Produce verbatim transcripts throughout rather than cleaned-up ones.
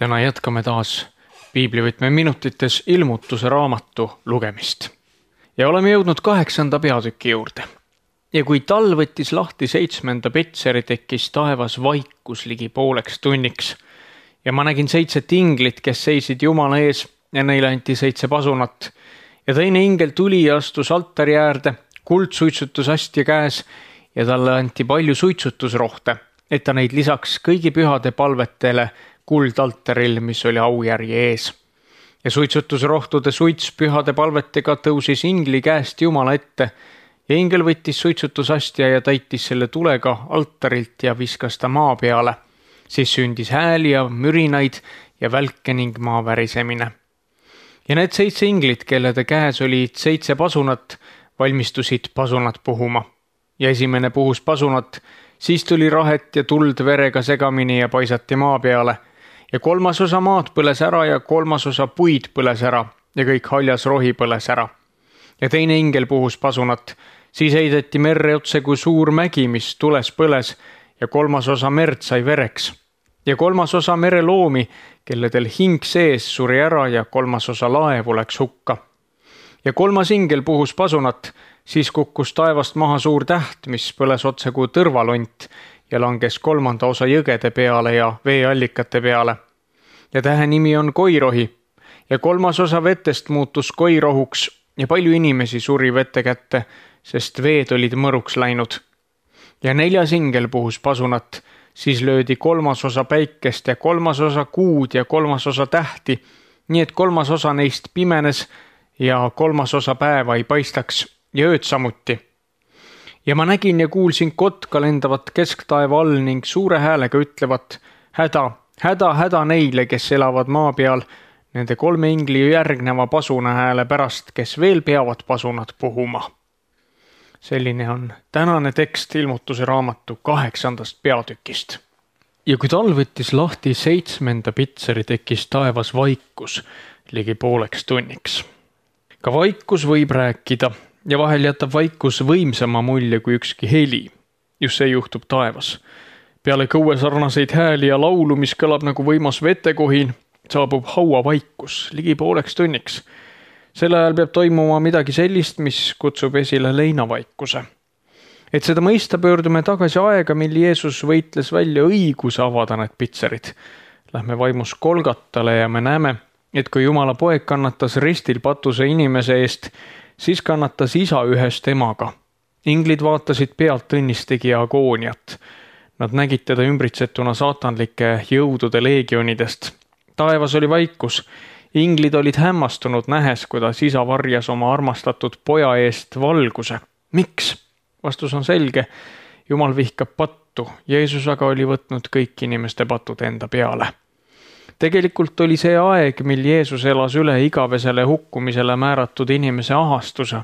Täna jätkame taas piiblivõtme minutites ilmutuse raamatu lugemist. Ja oleme jõudnud kaheksanda peatüki juurde. Ja kui tal võttis lahti seitsmenda petseri, tekkis taevas vaikus ligi pooleks tunniks. Ja ma nägin seitset inglit, kes seisid Jumala ees ja neile anti seitse pasunat. Ja teine ingel tuli ja astus altari äärde, kuldsuitsutusastja käes ja talle anti palju suitsutusrohte, et ta neid lisaks kõigi pühade palvetele kuldaltaril, mis oli aujärje ees. Ja suitsutusrohtude suits pühade palvetega tõusis ingli käest Jumala ette ja ingel võttis suitsutusastja ja täitis selle tulega altarilt ja viskas ta maa peale. Siis sündis hääli ja mürinaid ja välke ning maa värisemine. Ja need seitse inglit, kellede käes olid seitse pasunat, valmistusid pasunat puhuma. Ja esimene puhus pasunat, siis tuli rahet ja tuld verega segamini ja paisati maa peale. Ja kolmas osa maad põles ära ja kolmas osa puid põles ära ja kõik haljas rohi põles ära. Ja teine ingel puhus pasunat, siis heideti merre otse kui suur mägi, mis tules põles ja kolmas osa merd sai vereks. Ja kolmas osa mereloomi, kelledel hing sees suri ära ja kolmas osa laevu läks hukka. Ja kolmas ingel puhus pasunat, siis kukkus taevast maha suur täht, mis põles otse kui tõrvalont ja langes kolmanda osa jõgede peale ja veeallikate peale. Ja tähe nimi on koirohi ja kolmas osa vetest muutus koirohuks ja palju inimesi suri vette kätte, sest veed olid mõruks läinud. Ja neljas ingel puhus pasunat, siis löödi kolmas osa päikest ja kolmas osa kuud ja kolmas osa tähti, nii et kolmas osa neist pimenes ja kolmas osa päeva ei paistaks ja ööd samuti. Ja ma nägin ja kuulsin kotka lendavat kesktaeva all ning suure häälega ütlevat, häda, häda, häda neile, kes elavad maa peal, nende kolme ingli järgneva pasuna hääle pärast, kes veel peavad pasunat puhuma. Selline on tänane tekst ilmutuse raamatu kaheksandast peatükist. Ja kui tal võttis lahti seitsmenda pitseri, tekkis taevas vaikus ligi pooleks tunniks. Ka vaikus võib rääkida ja vahel jätab vaikus võimsama mulje kui ükski heli. Just see juhtub taevas. Peale kõue sarnaseid hääli ja laulu, mis kõlab nagu võimas vetekohin, saabub haua vaikus ligi pooleks tunniks. Selle ajal peab toimuma midagi sellist, mis kutsub esile leinavaikuse. Et seda mõista, pöördume tagasi aega, mil Jeesus võitles välja õiguse avada need pitserid. Lähme vaimus Kolgatale ja me näeme, et kui Jumala poeg kannatas ristil patuse inimese eest, siis kannatas isa ühest emaga. Inglid vaatasid pealt õnnistegija agooniat. Nad nägid teda ümbritsetuna saatanlike jõudude leegionidest. Taevas oli vaikus. Inglid olid hämmastunud nähes, kuidas isa varjas oma armastatud poja eest valguse. Miks? Vastus on selge. Jumal vihkab pattu. Jeesus aga oli võtnud kõik inimeste patud enda peale. Tegelikult oli see aeg, mil Jeesus elas üle igavesele hukkumisele määratud inimese ahastuse.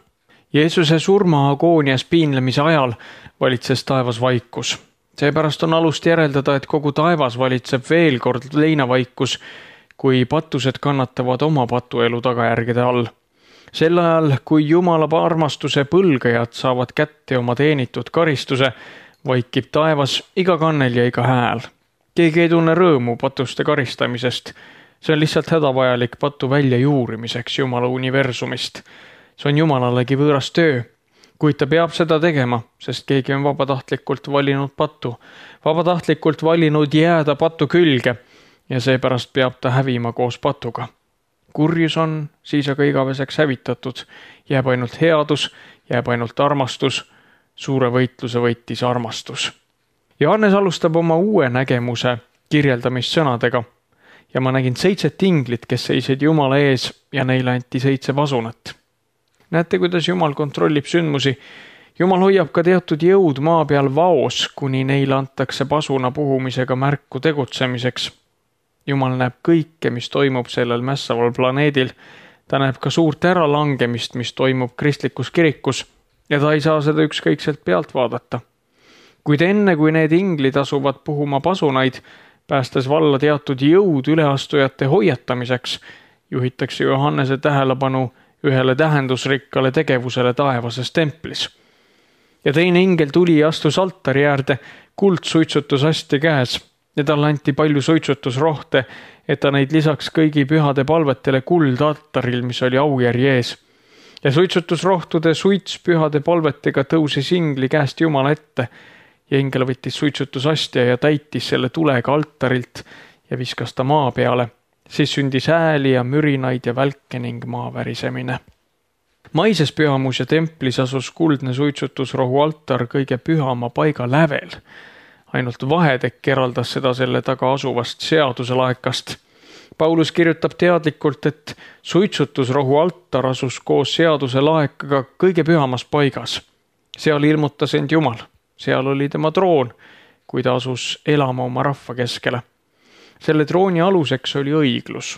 Jeesuse surma agoonias piinlemise ajal valitses taevas vaikus. Seepärast on alust järeldada, et kogu taevas valitseb veel kord leinavaikus, kui patused kannatavad oma patuelu tagajärgede all. Sel ajal, kui Jumala armastuse põlgajad saavad kätte oma teenitud karistuse, vaikib taevas iga kannel ja iga hääl. Keegi ei tunne rõõmu patuste karistamisest. See on lihtsalt hädavajalik patu välja juurimiseks Jumala universumist. See on Jumalalegi võõras töö, kuid ta peab seda tegema, sest keegi on vabatahtlikult valinud patu. Vabatahtlikult valinud jääda patu külge ja seepärast peab ta hävima koos patuga. Kurjus on siis aga igaveseks hävitatud. Jääb ainult headus, jääb ainult armastus. Suure võitluse võitis armastus. Johannes alustab oma uue nägemuse kirjeldamist sõnadega ja ma nägin seitset inglit, kes seisid Jumala ees ja neile anti seitse pasunat. Näete, kuidas Jumal kontrollib sündmusi. Jumal hoiab ka teatud jõud maa peal vaos, kuni neile antakse pasuna puhumisega märku tegutsemiseks. Jumal näeb kõike, mis toimub sellel mässaval planeedil. Ta näeb ka suurt äralangemist, mis toimub kristlikus kirikus ja ta ei saa seda ükskõikselt pealt vaadata. Kuid enne, kui need inglid asuvad puhuma pasunaid, päästes valla teatud jõud üleastujate hoiatamiseks, juhitakse Johannese tähelepanu ühele tähendusrikkale tegevusele taevases templis. Ja teine ingel tuli ja astus altari äärde kuldsuitsutusastja käes ja talle anti palju suitsutusrohte, et ta neid lisaks kõigi pühade palvetele kuldaltaril, mis oli aujärje ees. Ja suitsutusrohtude suits pühade palvetega tõusis ingli käest Jumala ette ja ingel võttis suitsutusastja ja täitis selle tulega altarilt ja viskas ta maa peale. Siis sündis hääli ja mürinaid ja välke ning maa värisemine. Maises pühamus ja templis asus kuldne suitsutusrohu altar kõige pühama paiga lävel. Ainult vahetekk eraldas seda selle taga asuvast seaduse laekast. Paulus kirjutab teadlikult, et suitsutusrohu altar asus koos seaduse laekaga kõige pühamas paigas. Seal ilmutas end Jumal. Seal oli tema troon, kui ta asus elama oma rahva keskele. Selle trooni aluseks oli õiglus,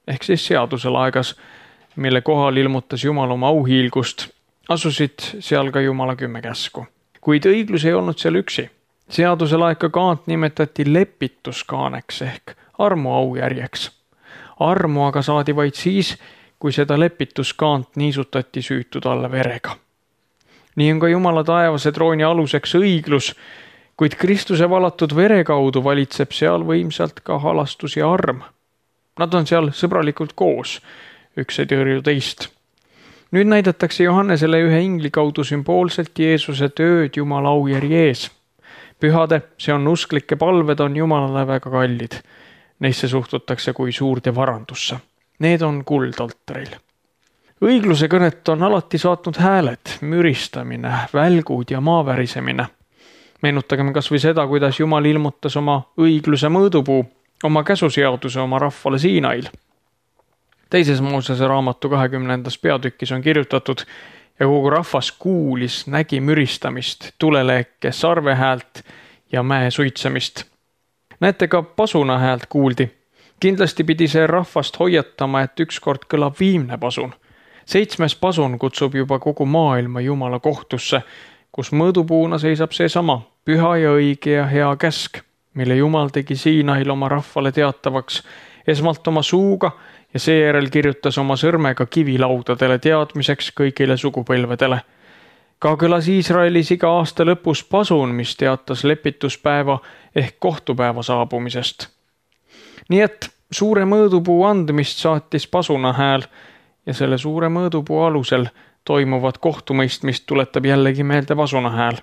ehk siis seaduse laegas, mille kohal ilmutas Jumal oma auhiilgust, asusid seal ka Jumala kümme käsku. Kuid õiglus ei olnud seal üksi. Seaduse laeka kaant nimetati lepituskaaneks ehk armu aujärjeks. Armu aga saadi vaid siis, kui seda lepituskaant niisutati süütud alla verega. Nii on ka Jumala taevase trooni aluseks õiglus, kuid Kristuse valatud vere kaudu valitseb seal võimsalt ka halastus ja arm. Nad on seal sõbralikult koos, üks ei tõrju teist. Nüüd näidatakse Johannesele ühe ingli kaudu sümboolselt Jeesuse tööd Jumala aujärje ees. Pühade, see on usklike palved, on Jumalale väga kallid. Neisse suhtutakse kui suurde varandusse. Need on kuldaltaril. Õigluse kõnet on alati saatnud hääled, müristamine, välgud ja maavärisemine. Meenutagem kas või seda, kuidas Jumal ilmutas oma õigluse mõõdupuu, oma käsuseaduse oma rahvale Siinail. Teises Moosese raamatu kahekümnendas peatükis on kirjutatud ja kogu rahvas kuulis, nägi müristamist, tuleleeke, sarvehäält ja mäe suitsemist. Näete, ka pasuna häält kuuldi. Kindlasti pidi see rahvast hoiatama, et ükskord kõlab viimne pasun. Seitsmes pasun kutsub juba kogu maailma Jumala kohtusse, kus mõõdupuuna seisab seesama püha ja õige ja hea käsk, mille Jumal tegi Siinail oma rahvale teatavaks, esmalt oma suuga ja seejärel kirjutas oma sõrmega kivilaudadele teadmiseks kõigile sugupõlvedele. Ka kõlas Iisraelis iga aasta lõpus pasun, mis teatas lepituspäeva ehk kohtupäeva saabumisest. Nii et suure mõõdupuu andmist saatis pasuna hääl ja selle suure mõõdupuu alusel toimuvat kohtumõistmist tuletab jällegi meelde pasuna hääl.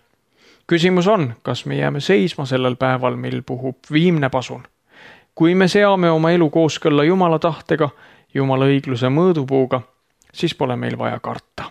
Küsimus on, kas me jääme seisma sellel päeval, mil puhub viimne pasun. Kui me seame oma elu kooskõlla Jumala tahtega, Jumala õigluse mõõdupuuga, siis pole meil vaja karta.